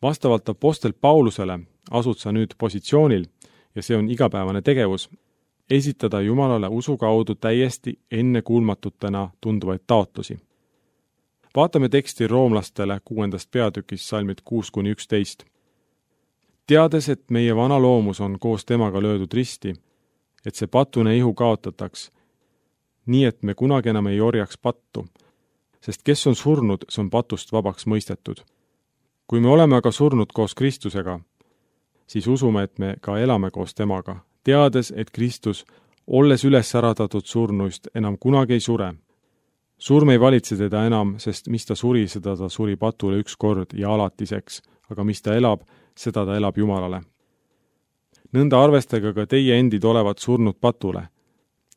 Vastavalt apostel Paulusele asud sa nüüd positsioonil, ja see on igapäevane tegevus, esitada Jumalale usu kaudu täiesti ennekuulmatutena tunduvaid taotlusi. Vaatame teksti roomlastele 6. peatükis salmid 6-11. Teades, et meie vana loomus on koos temaga löödud risti, et see patune ihu kaotataks, nii et me kunagi enam ei orjaks pattu, sest kes on surnud, see on patust vabaks mõistetud. Kui me oleme aga surnud koos Kristusega, siis usume, et me ka elame koos temaga, teades, et Kristus, olles üles äratatud surnuist, enam kunagi ei sure. Surm ei valitse teda enam, sest mis ta suri, seda ta suri patule üks kord ja alatiseks, aga mis ta elab, seda ta elab Jumalale. Nõnda arvestage ka teie endid olevat surnud patule,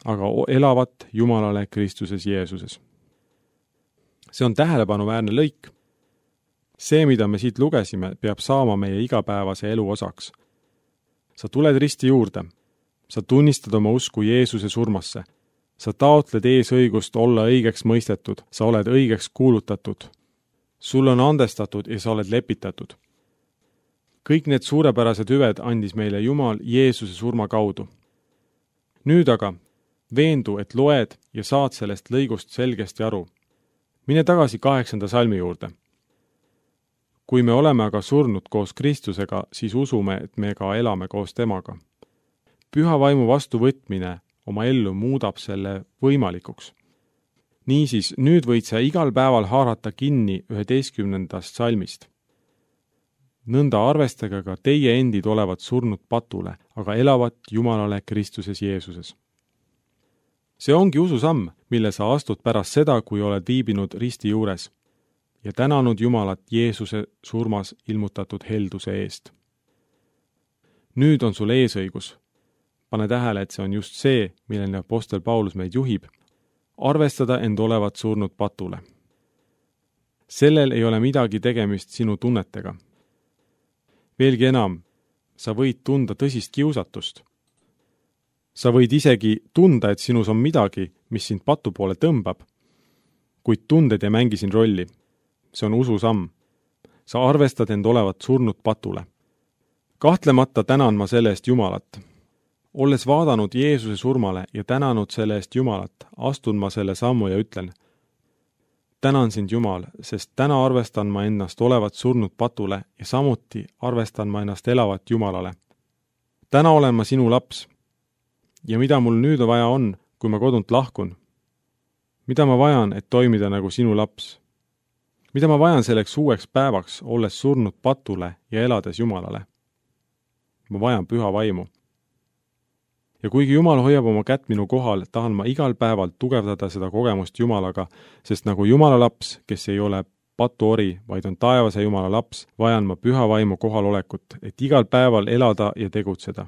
aga elavat Jumalale Kristuses Jeesuses. See on tähelepanuväärne lõik. See, mida me siit lugesime, peab saama meie igapäevase elu osaks. Sa tuled risti juurde. Sa tunnistad oma usku Jeesuse surmasse. Sa taotled eesõigust olla õigeks mõistetud. Sa oled õigeks kuulutatud. Sul on andestatud ja sa oled lepitatud. Kõik need suurepärased hüved andis meile Jumal Jeesuse surma kaudu. Nüüd aga veendu, et loed ja saad sellest lõigust selgesti aru. Mine tagasi 8. salmi juurde. Kui me oleme aga surnud koos Kristusega, siis usume, et me ka elame koos temaga. Püha vaimu vastuvõtmine oma ellu muudab selle võimalikuks. Niisiis, nüüd võid sa igal päeval haarata kinni 11. salmist. Nõnda arvestage ka teie endid olevat surnud patule, aga elavat Jumalale Kristuses Jeesuses. See ongi ususamm, mille sa astud pärast seda, kui oled viibinud risti juures ja tänanud Jumalat Jeesuse surmas ilmutatud helduse eest. Nüüd on sul eesõigus. Pane tähele, et see on just see, millele apostel Paulus meid juhib. Arvestada end olevat surnud patule. Sellel ei ole midagi tegemist sinu tunnetega. Veelgi enam, sa võid tunda tõsist kiusatust. Sa võid isegi tunda, et sinus on midagi, mis sind patu poole tõmbab, kuid tunded ei mängi siin rolli. See on ususamm. Sa arvestad end olevat surnud patule. Kahtlemata tänan ma selle eest Jumalat. Olles vaadanud Jeesuse surmale ja tänanud selle eest Jumalat, astun ma selle sammu ja ütlen: tänan sind Jumal, sest täna arvestan ma ennast olevat surnud patule ja samuti arvestan ma ennast elavat Jumalale. Täna olen ma sinu laps. Ja mida mul nüüd vaja on, kui ma kodunt lahkun? Mida ma vajan, et toimida nagu sinu laps? Mida ma vajan selleks uueks päevaks, olles surnud patule ja elades Jumalale? Ma vajan püha vaimu. Ja kuigi Jumal hoiab oma kätt minu kohal, tahan ma igal päeval tugevdada seda kogemust Jumalaga, sest nagu Jumala laps, kes ei ole patuori, vaid on taevase Jumala laps, vajan ma püha vaimu kohalolekut, et igal päeval elada ja tegutseda.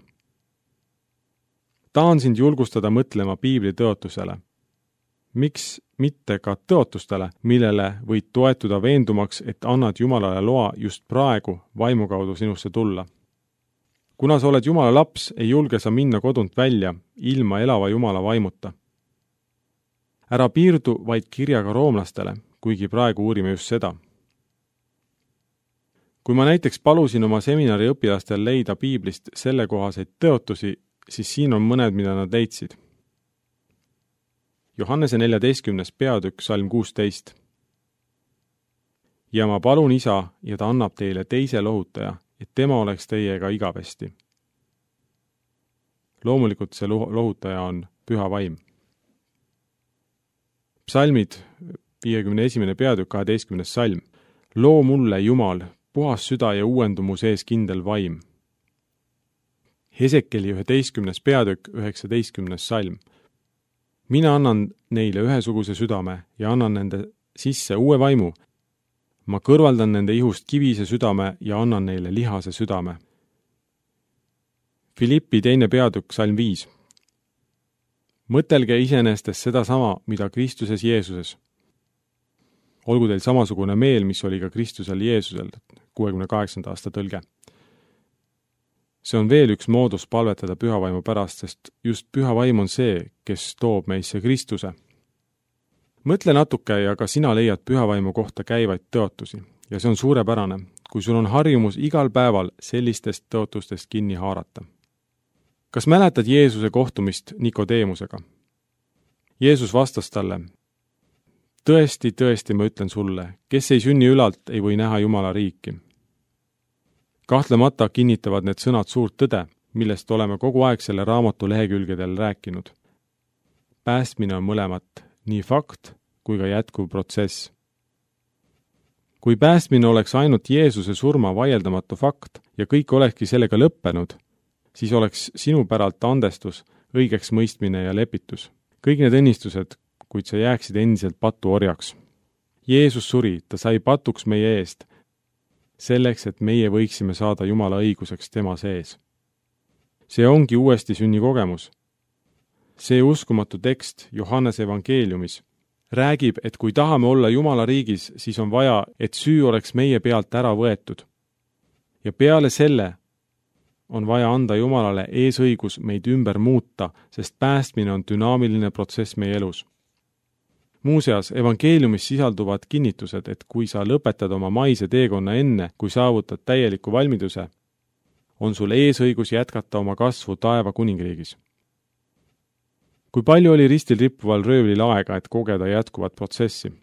Tahan sind julgustada mõtlema piibli tõotusele. Miks mitte ka tõotustele, millele võid toetuda veendumaks, et annad Jumalale loa just praegu vaimu kaudu sinusse tulla. Kuna sa oled Jumala laps, ei julge sa minna kodunt välja ilma elava Jumala vaimuta. Ära piirdu vaid kirjaga roomlastele, kuigi praegu uurime just seda. Kui ma näiteks palusin oma seminari õpilastel leida piiblist sellekohaseid tõotusi, siis siin on mõned, mida nad leidsid. Johannese 14. peatükk, salm 16. Ja ma palun Isa, ja ta annab teile teise lohutaja, et tema oleks teiega igavesti. Loomulikult see lohutaja on püha vaim. Psalmid 51. peatükk, 12. salm. Loo mulle, Jumal, puhas süda ja uuendumu sees kindel vaim. Hesekeli 11. peatükk, 19. salm. Mina annan neile ühesuguse südame ja annan nende sisse uue vaimu. Ma kõrvaldan nende ihust kivise südame ja annan neile lihase südame. Filippi 2. peatükk, salm 5. Mõtelge iseenestes seda sama, mida Kristuses Jeesuses. Olgu teil samasugune meel, mis oli ka Kristusel Jeesusel, 68. aasta tõlge. See on veel üks moodus palvetada pühavaimu pärast, sest just pühavaim on see, kes toob meisse Kristuse. Mõtle natuke ja ka sina leiad pühavaimu kohta käivaid tõotusi ja see on suurepärane. kui sul on harjumus igal päeval sellistest tõotustest kinni haarata. Kas mäletad Jeesuse kohtumist Nikodeemusega? Jeesus vastas talle: tõesti, tõesti, ma ütlen sulle, kes ei sünni ülalt, ei või näha Jumala riiki. Kahtlemata kinnitavad need sõnad suurt tõde, millest oleme kogu aeg selle raamatu lehekülgedel rääkinud. Päästmine on mõlemat, nii fakt kui ka jätkuv protsess. Kui päästmine oleks ainult Jeesuse surma vaieldamatu fakt ja kõik olekski sellega lõppenud, siis oleks sinu päralt andestus, õigeks mõistmine ja lepitus. Kõik need õnnistused, kuid sa jääksid endiselt patu orjaks. Jeesus suri, ta sai patuks meie eest, selleks, et meie võiksime saada Jumala õiguseks tema sees. See ongi uuesti sünni kogemus. See uskumatu tekst Johannese evangeeliumis räägib, et kui tahame olla Jumala riigis, siis on vaja, et süü oleks meie pealt ära võetud. Ja peale selle on vaja anda Jumalale eesõigus meid ümber muuta, sest päästmine on dünaamiline protsess meie elus. Muuseas, evangeeliumis sisalduvad kinnitused, et kui sa lõpetad oma maise teekonna enne, kui saavutad täieliku valmiduse, on sul eesõigus jätkata oma kasvu taeva kuningriigis. Kui palju oli ristil rippuval röövlil aega, et kogeda jätkuvat protsessi?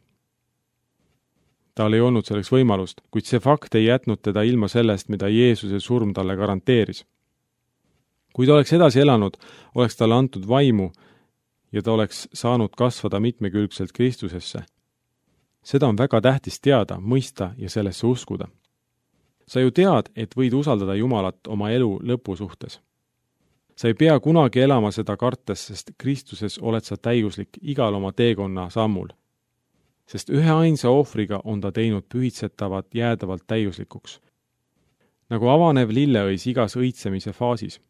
Tal ei olnud selleks võimalust, kuid see fakt ei jätnud teda ilma sellest, mida Jeesuse surm talle garanteeris. Kui ta oleks edasi elanud, oleks talle antud vaimu ja ta oleks saanud kasvada mitmekülgselt Kristusesse. Seda on väga tähtis teada, mõista ja sellesse uskuda. Sa ju tead, et võid usaldada Jumalat oma elu lõpu suhtes. Sa ei pea kunagi elama seda kartes, sest Kristuses oled sa täiuslik igal oma teekonna sammul. Sest ühe ainsa ohvriga on ta teinud pühitsetavat jäädavalt täiuslikuks. Nagu avanev lilleõis igas õitsemise faasis.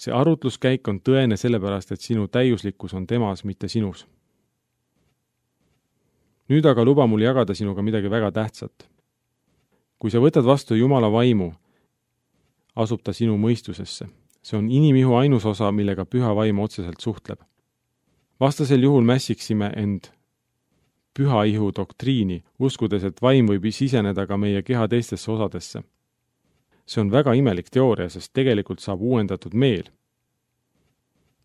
See arutluskäik on tõene sellepärast, et sinu täiuslikkus on temas, mitte sinus. Nüüd aga luba mul jagada sinuga midagi väga tähtsat. Kui sa võtad vastu Jumala vaimu, asub ta sinu mõistusesse. See on inimihu ainus osa, millega püha vaim otseselt suhtleb. Vastasel juhul mässiksime end püha ihu doktriini, uskudes, et vaim võib siseneda ka meie keha teistesse osadesse. See on väga imelik teooria, sest tegelikult saab uuendatud meel.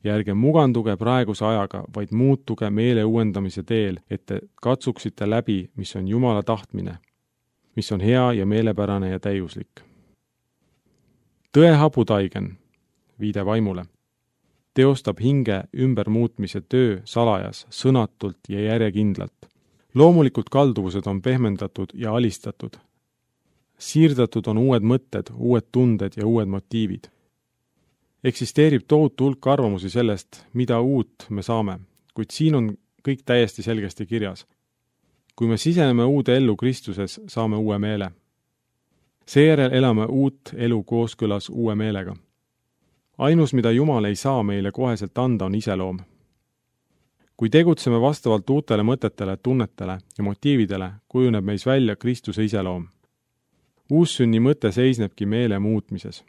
Ja ärge muganduge praeguse ajaga, vaid muutuge meele uuendamise teel, et te katsuksite läbi, mis on Jumala tahtmine, mis on hea ja meelepärane ja täiuslik. Tõe habutaigen, viide vaimule, teostab hinge ümbermuutmise töö salajas, sõnatult ja järjekindlalt. Loomulikult kalduvused on pehmendatud ja alistatud. Siirdatud on uued mõtted, uued tunded ja uued motiivid. Eksisteerib tohutu hulk arvamusi sellest, mida uut me saame, kuid siin on kõik täiesti selgesti kirjas. Kui me siseneme uude ellu Kristuses, saame uue meele. Seejärel elame uut elu kooskõlas uue meelega. Ainus, mida Jumal ei saa meile koheselt anda, on iseloom. Kui tegutseme vastavalt uutele mõtetele, tunnetele ja motiividele, kujuneb meis välja Kristuse iseloom. Uussünni mõte seisnebki meele muutmises.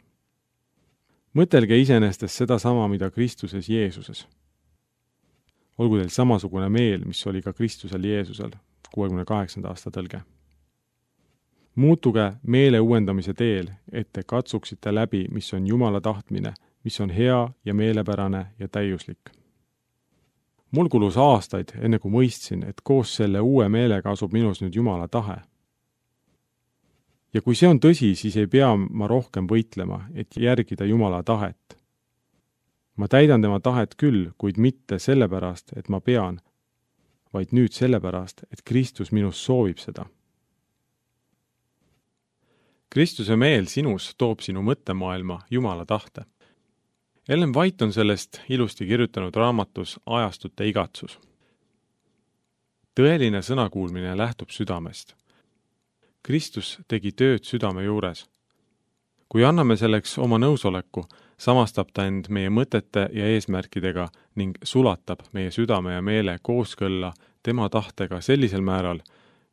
Mõtelge iseenestes seda sama, mida Kristuses Jeesuses. Olgu teil samasugune meel, mis oli ka Kristusel Jeesusel, 68. aasta tõlge. Muutuge meele uuendamise teel, et te katsuksite läbi, mis on Jumala tahtmine, mis on hea ja meelepärane ja täiuslik. Mul kulus aastaid, enne kui mõistsin, et koos selle uue meelega asub minus nüüd Jumala tahe. Ja kui see on tõsi, siis ei pea ma rohkem võitlema, et järgida Jumala tahet. Ma täidan tema tahet küll, kuid mitte sellepärast, et ma pean, vaid nüüd sellepärast, et Kristus minus soovib seda. Kristuse meel sinus toob sinu mõttemaailma Jumala tahte. Ellen White on sellest ilusti kirjutanud raamatus Ajastute igatsus. Tõeline sõnakuulmine lähtub südamest. Kristus tegi tööd südame juures. Kui anname selleks oma nõusoleku, samastab ta end meie mõtete ja eesmärkidega ning sulatab meie südame ja meele kooskõlla tema tahtega sellisel määral,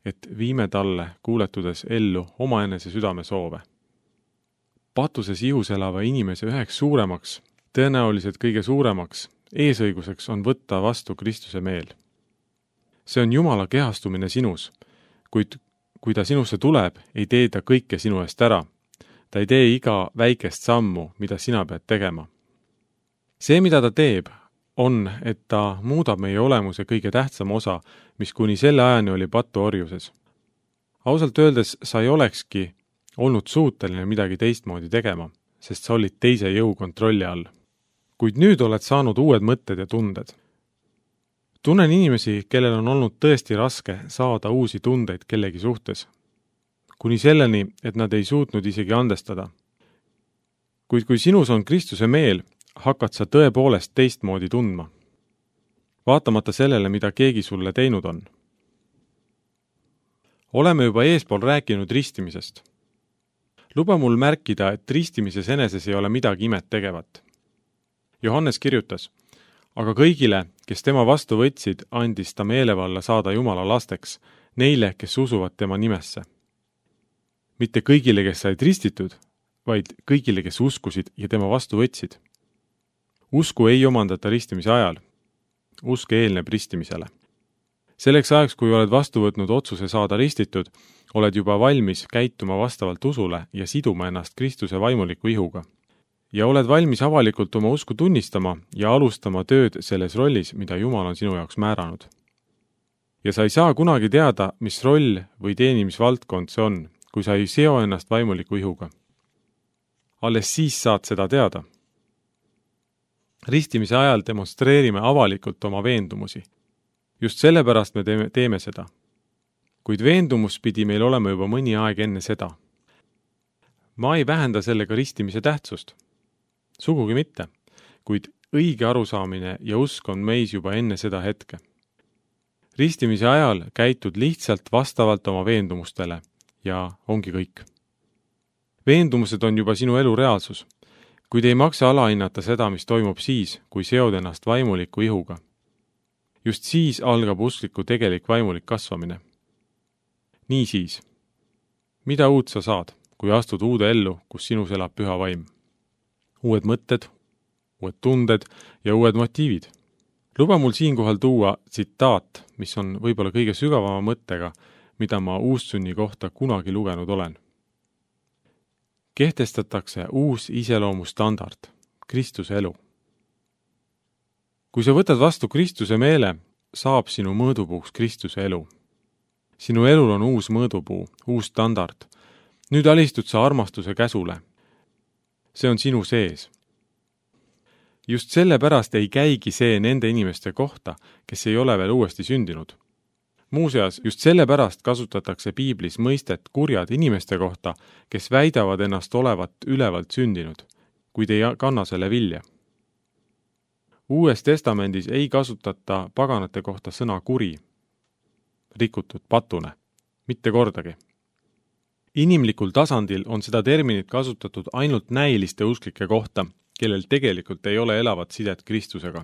et viime talle kuuletudes ellu omaenese südame soove. Patuses ihus elava inimese üheks suuremaks, tõenäoliselt kõige suuremaks eesõiguseks on võtta vastu Kristuse meel. See on Jumala kehastumine sinus, kuid kui ta sinusse tuleb, ei tee ta kõike sinu eest ära. Ta ei tee iga väikest sammu, mida sina pead tegema. See, mida ta teeb, on, et ta muudab meie olemuse kõige tähtsam osa, mis kuni selle ajani oli patuorjuses. Ausalt öeldes sa ei olekski olnud suuteline midagi teistmoodi tegema, sest sa olid teise jõu kontrolli all. Kuid nüüd oled saanud uued mõtted ja tunded. Tunnen inimesi, kellel on olnud tõesti raske saada uusi tundeid kellegi suhtes. Kuni selleni, et nad ei suutnud isegi andestada. Kuid kui sinus on Kristuse meel, hakkad sa tõepoolest teistmoodi tundma. Vaatamata sellele, mida keegi sulle teinud on. Oleme juba eespool rääkinud ristimisest. Luba mul märkida, et ristimises eneses ei ole midagi imet tegevat. Johannes kirjutas, aga kõigile, kes tema vastu võtsid, andis ta meelevalla saada Jumala lasteks, neile, kes usuvad tema nimesse. Mitte kõigile, kes said ristitud, vaid kõigile, kes uskusid ja tema vastu võtsid. Usku ei omandata ristimise ajal. Usk eelneb ristimisele. Selleks ajaks, kui oled vastu võtnud otsuse saada ristitud, oled juba valmis käituma vastavalt usule ja siduma ennast Kristuse vaimuliku ihuga. Ja oled valmis avalikult oma usku tunnistama ja alustama tööd selles rollis, mida Jumal on sinu jaoks määranud. Ja sa ei saa kunagi teada, mis roll või teenimisvaldkond see on, kui sa ei seo ennast vaimuliku ihuga. Alles siis saad seda teada. Ristimise ajal demonstreerime avalikult oma veendumusi. Just sellepärast me teeme seda. Kuid veendumus pidi meil olema juba mõni aeg enne seda. Ma ei vähenda sellega ristimise tähtsust. Sugugi mitte, kuid õige arusaamine ja usk on meis juba enne seda hetke. Ristimise ajal käitud lihtsalt vastavalt oma veendumustele ja ongi kõik. Veendumused on juba sinu elu reaalsus, kuid ei maksa alahinnata seda, mis toimub siis, kui seod ennast vaimuliku ihuga. Just siis algab uskliku tegelik vaimulik kasvamine. Niisiis, mida uut sa saad, kui astud uude ellu, kus sinus elab püha vaim? Uued mõtted, uued tunded ja uued motiivid. Luba mul siinkohal tuua tsitaat, mis on võib-olla kõige sügavama mõttega, mida ma uustsünni kohta kunagi lugenud olen. Kehtestatakse uus iseloomustandard, Kristuse elu. Kui sa võtad vastu Kristuse meele, saab sinu mõõdupuuks Kristuse elu. Sinu elul on uus mõõdupuu, uus standard. Nüüd alistud sa armastuse käsule. See on sinu sees. Just sellepärast ei käigi see nende inimeste kohta, kes ei ole veel uuesti sündinud. Muuseas, just sellepärast kasutatakse Piiblis mõistet kurjad inimeste kohta, kes väidavad ennast olevat ülevalt sündinud, kuid ei kanna selle vilja. Uues testamendis ei kasutata paganate kohta sõna kuri, rikutud patune, mitte kordagi. Inimlikul tasandil on seda terminit kasutatud ainult näiliste usklike kohta, kellel tegelikult ei ole elavat sidet Kristusega.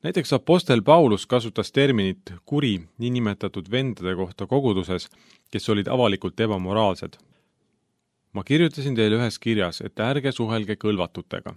Näiteks apostel Paulus kasutas terminit kuri niinimetatud vendade kohta koguduses, kes olid avalikult ebamoraalsed. Ma kirjutasin teile ühes kirjas, et ärge suhelge kõlvatutega.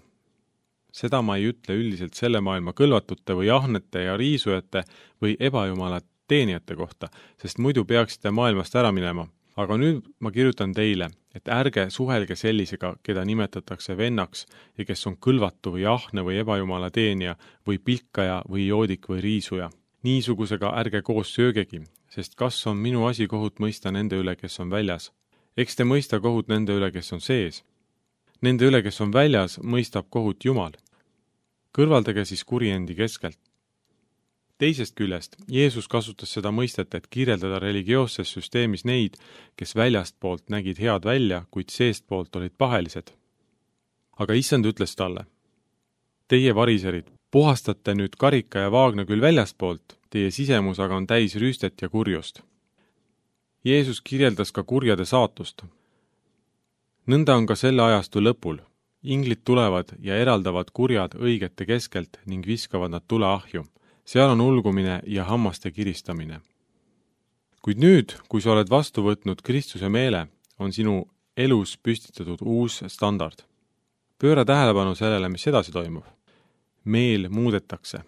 Seda ma ei ütle üldiselt selle maailma kõlvatute või ahnete ja riisujate või ebajumala teenijate kohta, sest muidu peaksite maailmast ära minema. Aga nüüd ma kirjutan teile, et ärge suhelge sellisega, keda nimetatakse vennaks ja kes on kõlvatu või ahne või ebajumala teenija või pilkaja või joodik või riisuja. Niisugusega ärge koos söögegi, sest kas on minu asi kohut mõista nende üle, kes on väljas? Eks te mõista kohut nende üle, kes on sees. Nende üle, kes on väljas, mõistab kohut Jumal. Kõrvaldage siis kuri endi keskelt. Teisest küljest, Jeesus kasutas seda mõistet, et kirjeldada religioosses süsteemis neid, kes väljast poolt nägid head välja, kuid seest poolt olid pahelised. Aga issand ütles talle, teie variserid, puhastate nüüd karika ja vaagna küll väljast poolt, teie sisemus aga on täis rüüstet ja kurjust. Jeesus kirjeldas ka kurjade saatust. Nõnda on ka selle ajastu lõpul. Inglid tulevad ja eraldavad kurjad õigete keskelt ning viskavad nad tuleahju. Seal on ulgumine ja hammaste kiristamine. Kuid nüüd, kui sa oled vastu võtnud Kristuse meele, on sinu elus püstitatud uus standard. Pööra tähelepanu sellele, mis edasi toimub. Meel muudetakse.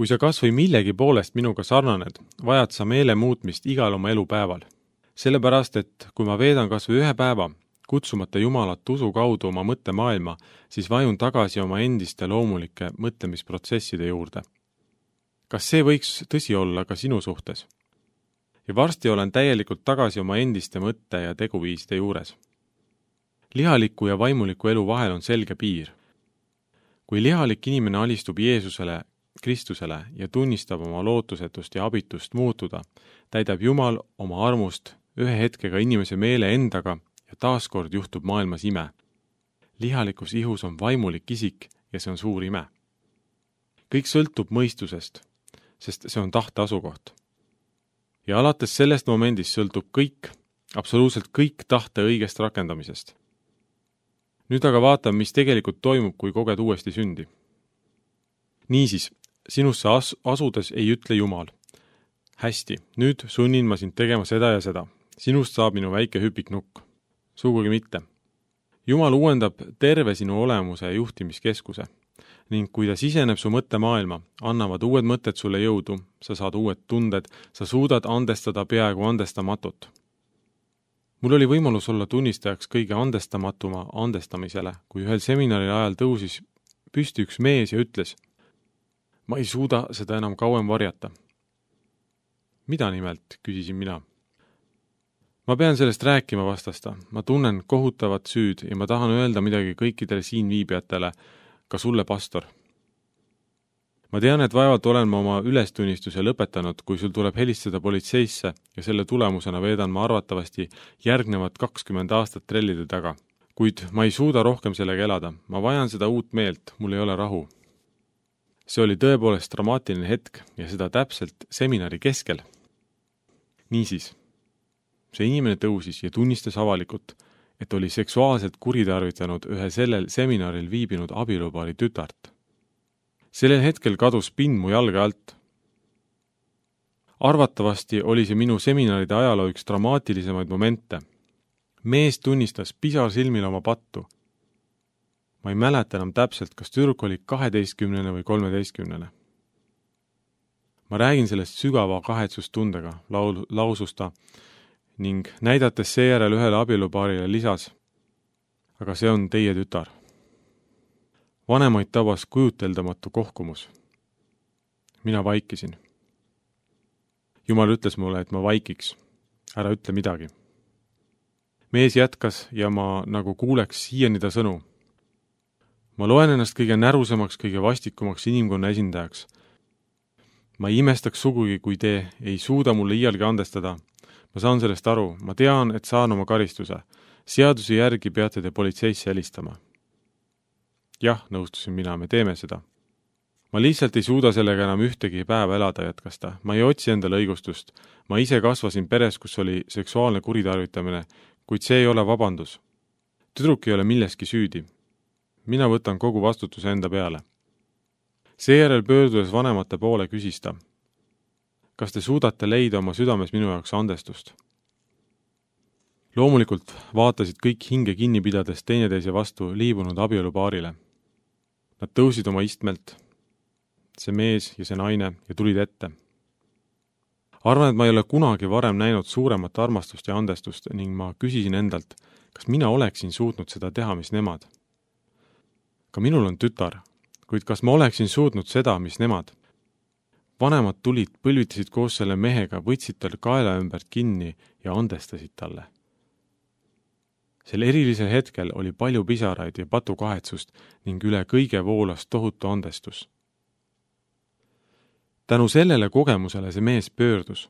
kui sa kas või millegi poolest minuga sarnaned, vajad sa meele muutmist igal oma elupäeval. Sellepärast, et kui ma veedan kas või ühe päeva, kutsumata Jumalat usu kaudu oma mõttemaailma, siis vajun tagasi oma endiste loomulike mõtlemisprotsesside juurde. Kas see võiks tõsi olla ka sinu suhtes? Ja varsti olen täielikult tagasi oma endiste mõtte- ja teguviiside juures. Lihaliku ja vaimuliku elu vahel on selge piir. Kui lihalik inimene alistub Jeesusele, Kristusele ja tunnistab oma lootusetust ja abitust muutuda, täidab Jumal oma armust ühe hetkega inimese meele endaga ja taaskord juhtub maailmas ime. Lihalikus ihus on vaimulik isik ja see on suur ime. Kõik sõltub mõistusest, sest see on tahte asukoht. Ja alates sellest momendist sõltub kõik, absoluutselt kõik tahte õigest rakendamisest. Nüüd aga vaatame, mis tegelikult toimub, kui koged uuesti sündi. Niisiis, sinusse asudes ei ütle Jumal. Hästi, nüüd sunnin ma sind tegema seda ja seda. Sinust saab minu väike hüpiknukk. Sugugi mitte. Jumal uuendab terve sinu olemuse ja juhtimiskeskuse ning kui ta siseneb su mõttemaailma, annavad uued mõtted sulle jõudu, sa saad uued tunded, sa suudad andestada peaaegu andestamatut. Mul oli võimalus olla tunnistajaks kõige andestamatuma andestamisele, kui ühel seminari ajal tõusis püsti üks mees ja ütles, ma ei suuda seda enam kauem varjata. Mida nimelt, küsisin mina. Ma pean sellest rääkima, vastas ta. Ma tunnen kohutavat süüd ja ma tahan öelda midagi kõikidele siin viibijatele, ka sulle, pastor. Ma tean, et vaevalt olen ma oma ülestunnistuse lõpetanud, kui sul tuleb helistada politseisse ja selle tulemusena veedan ma arvatavasti järgnevad 20 aastat trellide taga. Kuid ma ei suuda rohkem sellega elada. Ma vajan seda uut meelt, mul ei ole rahu. See oli tõepoolest dramaatiline hetk ja seda täpselt seminari keskel. Niisiis, see inimene tõusis ja tunnistas avalikult, et oli seksuaalselt kuritarvitanud ühe sellel seminaril viibinud abielupaari tütart. Sellel hetkel kadus pind mu jalge alt. Arvatavasti oli see minu seminaride ajaloo üks dramaatilisemaid momente. Mees tunnistas pisar silmil oma pattu. Ma ei mäleta enam täpselt, kas tüdruk oli 12 või 13. Ma räägin sellest sügava kahetsustundega, lausus ta, ning näidates seejärel ühele abielupaarile lisas, aga see on teie tütar. Vanemaid tabas kujuteldamatu kohkumus. Mina vaikisin. Jumal ütles mulle, et ma vaikiks. Ära ütle midagi. Mees jätkas ja ma nagu kuuleks siiani ta sõnu. Ma loen ennast kõige närusemaks, kõige vastikumaks inimkonna esindajaks. Ma ei imestaks sugugi, kui te ei suuda mulle iialgi andestada. Ma saan sellest aru. Ma tean, et saan oma karistuse. Seaduse järgi peate te politseisse helistama. Jah, nõustusin mina, me teeme seda. Ma lihtsalt ei suuda sellega enam ühtegi päeva elada, jätkas ta. Ma ei otsi endale õigustust. Ma ise kasvasin peres, kus oli seksuaalne kuritarvitamine, kuid see ei ole vabandus. Tüdruk ei ole milleski süüdi. Mina võtan kogu vastutuse enda peale. Seejärel pöördudes vanemate poole küsis ta, kas te suudate leida oma südames minu jaoks andestust? Loomulikult vaatasid kõik hinge kinni pidades teineteise vastu liibunud abielupaarile. Nad tõusid oma istmelt, see mees ja see naine, ja tulid ette. Arvan, et ma ei ole kunagi varem näinud suuremat armastust ja andestust ning ma küsisin endalt, kas mina oleksin suutnud seda teha, mis nemad. Ka minul on tütar, kuid kas ma oleksin suutnud seda, mis nemad? Vanemad tulid, põlvitasid koos selle mehega, võtsid tal kaela ümbert kinni ja andestasid talle. Sel erilisel hetkel oli palju pisaraid ja patukahetsust ning üle kõige voolas tohutu andestus. Tänu sellele kogemusele see mees pöördus.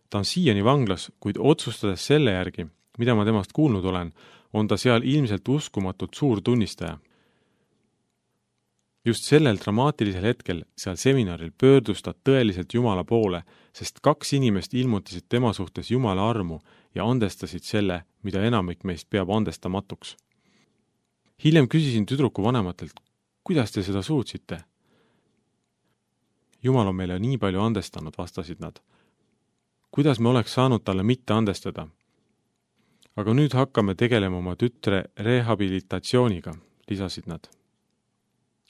Ta on siiani vanglas, kuid otsustades selle järgi, mida ma temast kuulnud olen, on ta seal ilmselt uskumatult suur tunnistaja. Just sellel dramaatilisel hetkel seal seminaril pöördus ta tõeliselt Jumala poole, sest 2 inimest ilmutasid tema suhtes Jumala armu ja andestasid selle, mida enamik meist peab andestamatuks. Hiljem küsisin tüdruku vanematelt, kuidas te seda suutsite? Jumal on meile nii palju andestanud, vastasid nad. Kuidas me oleks saanud talle mitte andestada? Aga nüüd hakkame tegelema oma tütre rehabilitatsiooniga, lisasid nad.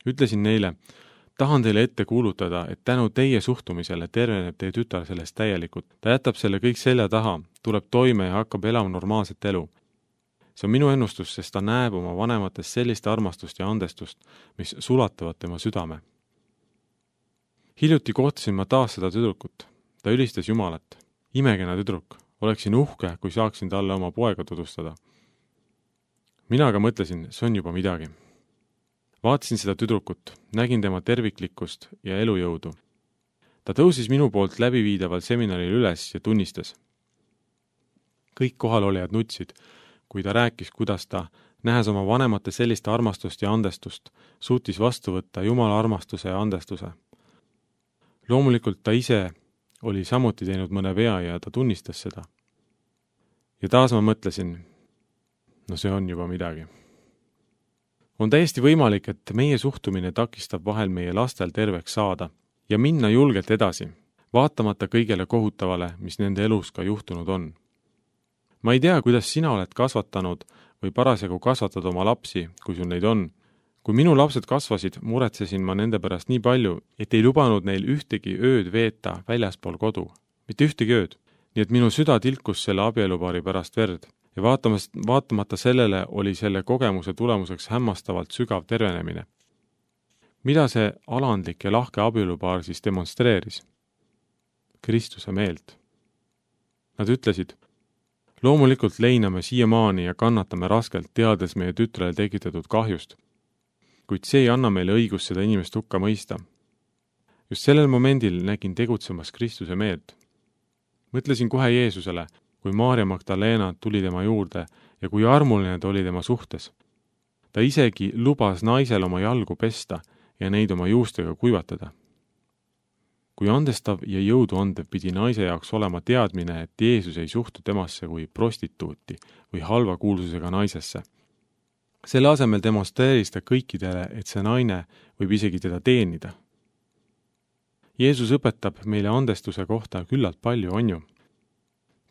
Ütlesin neile, tahan teile ette kuulutada, et tänu teie suhtumisele terveneb teie tütar sellest täielikult. Ta jätab selle kõik selja taha, tuleb toime ja hakkab elama normaalset elu. See on minu ennustus, sest ta näeb oma vanemates sellist armastust ja andestust, mis sulatavad tema südame. Hiljuti kohtasin ma taas seda tüdrukut. Ta ülistas Jumalat. Imekena tüdruk. Oleksin uhke, kui saaksin talle oma poega tutvustada. Mina aga mõtlesin, see on juba midagi. Vaatasin seda tüdrukut, nägin tema terviklikkust ja elujõudu. Ta tõusis minu poolt läbiviidaval seminaril üles ja tunnistas. Kõik kohalolijad nutsid, kui ta rääkis, kuidas ta, nähes oma vanemate sellist armastust ja andestust, suutis vastu võtta Jumala armastuse ja andestuse. Loomulikult ta ise oli samuti teinud mõne vea ja ta tunnistas seda. Ja taas ma mõtlesin, no see on juba midagi. On täiesti võimalik, et meie suhtumine takistab vahel meie lastel terveks saada ja minna julgelt edasi, vaatamata kõigele kohutavale, mis nende elus ka juhtunud on. Ma ei tea, kuidas sina oled kasvatanud või parasjagu kasvatad oma lapsi, kui sul neid on. Kui minu lapsed kasvasid, muretsesin ma nende pärast nii palju, et ei lubanud neil ühtegi ööd veeta väljaspool kodu. Mitte ühtegi ööd. Nii et minu süda tilkus selle abielupaari pärast verd. Ja vaatamata sellele oli selle kogemuse tulemuseks hämmastavalt sügav tervenemine. Mida see alandlik ja lahke abielupaar siis demonstreeris? Kristuse meelt. Nad ütlesid, loomulikult leiname siiamaani ja kannatame raskelt, teades meie tütrele tekitatud kahjust. Kuid see ei anna meile õigust seda inimest hukka mõista. Just sellel momendil nägin tegutsemas Kristuse meelt. Mõtlesin kohe Jeesusele, kui Maarja Magdalena tuli tema juurde ja kui armuline ta oli tema suhtes. Ta isegi lubas naisel oma jalgu pesta ja neid oma juustega kuivatada. Kui andestav ja jõudu andev pidi naise jaoks olema teadmine, et Jeesus ei suhtu temasse kui prostituuti või halva kuulsusega naisesse. Selle asemel demonstreeris ta kõikidele, et see naine võib isegi teda teenida. Jeesus õpetab meile andestuse kohta küllalt palju, on ju.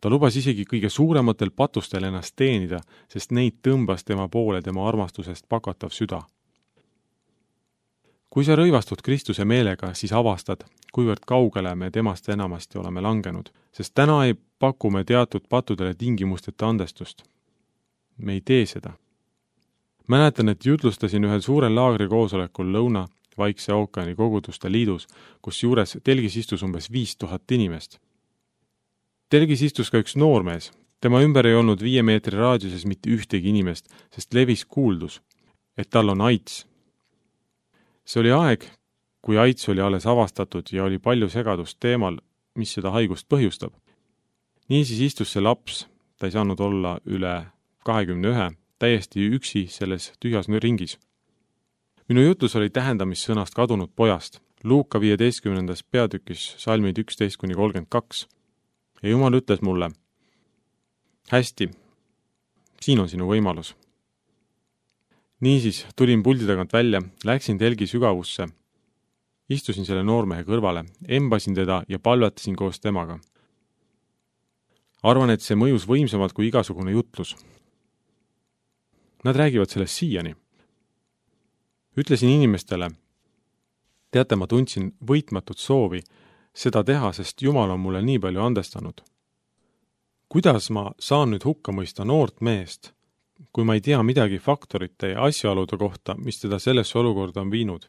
Ta lubas isegi kõige suurematel patustel ennast teenida, sest neid tõmbas tema poole tema armastusest pakatav süda. Kui sa rõivastud Kristuse meelega, siis avastad, kuivõrd kaugele me temast enamasti oleme langenud, sest täna ei paku me teatud patudele tingimusteta andestust. Me ei tee seda. Mäletan, et jutlustasin ühel suurel laagri koosolekul Lõuna-Vaikse ookeani koguduste liidus, kus juures telgis istus umbes 5000 inimest. Telgis istus ka üks noormees. Tema ümber ei olnud 5 meetri raadiuses mitte ühtegi inimest, sest levis kuuldus, et tal on AIDS. See oli aeg, kui AIDS oli alles avastatud ja oli palju segadust teemal, mis seda haigust põhjustab. Niisiis istus see laps, ta ei saanud olla üle 21, täiesti üksi selles tühjas ringis. Minu jutlus oli tähendamissõnast kadunud pojast, Luuka 15. peatükis salmid 11-32. Ja Jumal ütles mulle, hästi, siin on sinu võimalus. Niisiis tulin puldi tagant välja, läksin telgi sügavusse, istusin selle noormehe kõrvale, embasin teda ja palvetasin koos temaga. Arvan, et see mõjus võimsamalt kui igasugune jutlus. Nad räägivad sellest siiani. Ütlesin inimestele, teate, ma tundsin võitmatut soovi seda teha, sest Jumal on mulle nii palju andestanud. Kuidas ma saan nüüd hukka mõista noort meest, kui ma ei tea midagi faktorite ja asjaolude kohta, mis teda sellesse olukorda on viinud?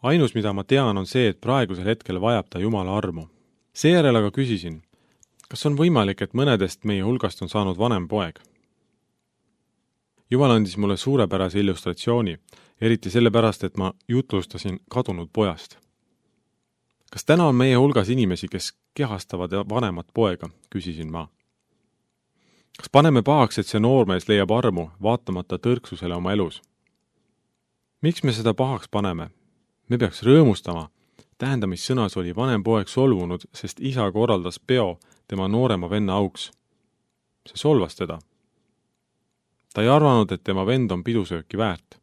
Ainus, mida ma tean, on see, et praegusel hetkel vajab ta Jumala armu. Seejärel aga küsisin, kas on võimalik, et mõnedest meie hulgast on saanud vanem poeg? Jumal andis mulle suurepärase illustratsiooni, eriti sellepärast, et ma jutlustasin kadunud pojast. Kas täna on meie hulgas inimesi, kes kehastavad vanemat poega, küsisin ma. Kas paneme pahaks, et see noormees leiab armu, vaatamata tõrksusele oma elus? Miks me seda pahaks paneme? Me peaks rõõmustama. Tähendamissõnas oli vanem poeg solvunud, sest isa korraldas peo tema noorema venna auks. See solvas teda. Ta ei arvanud, et tema vend on pidusööki väärt.